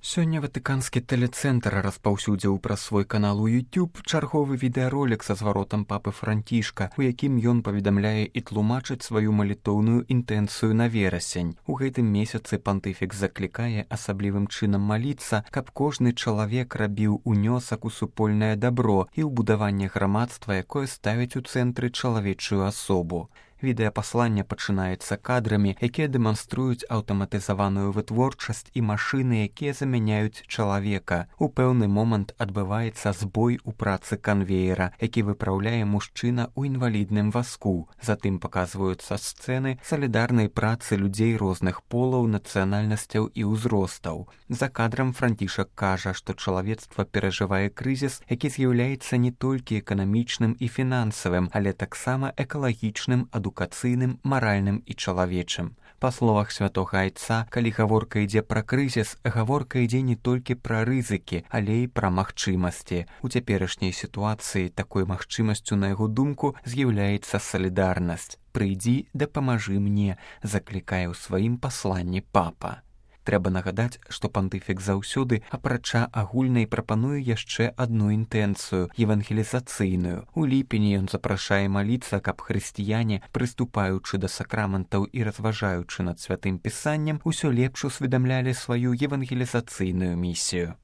Сёння ватыканскі тэлецэнтр распаўсюдзіў праз свой канал у YouTube чарговы відэаролік са зваротам папы Францішка, у якім ён паведамляе і тлумачыць сваю малітоўную інтэнцыю на верасень. У гэтым месяцы пантыфік заклікае асаблівым чынам маліцца, каб кожны чалавек рабіў унёсак у супольнае дабро і ў будаванне грамадства, якое ставіць у цэнтры чалавечую асобу. Відэапасланне пачынаецца кадрамі, якія дэманструюць аўтаматызаваную вытворчасць і машыны, якія замяняюць чалавека. У пэўны момант адбываецца збой у працы канвеера, які выпраўляе мужчына ў інвалідным вазку. Затым паказваюцца сцэны салідарнай працы людзей розных полаў, нацыянальнасцяў і ўзростаў. За кадрам Францішак кажа, што чалавецтва перажывае крызіс, які з'яўляецца не толькі эканамічным і фінансавым, але таксама экалагічным, адукацыйным, маральным і чалавечым. Па словах святога айца, калі гаворка ідзе пра крызіс, гаворка ідзе не толькі пра рызыкі, але і пра магчымасці. У цяперашняй сітуацыі такой магчымасцю, на яго думку, з'яўляецца салідарнасць. «Прыйдзі, дапамажы мне», заклікае ў сваім пасланні папа. Трэба нагадаць, што пантыфік заўсёды, апрача агульнай, прапануе яшчэ адну інтэнцыю – евангелізацыйную. У ліпені ён запрашае маліцца, каб хрысціяне, прыступаючы да сакраментаў і разважаючы над святым пісаннем, усё лепш усведамлялі сваю евангелізацыйную місію.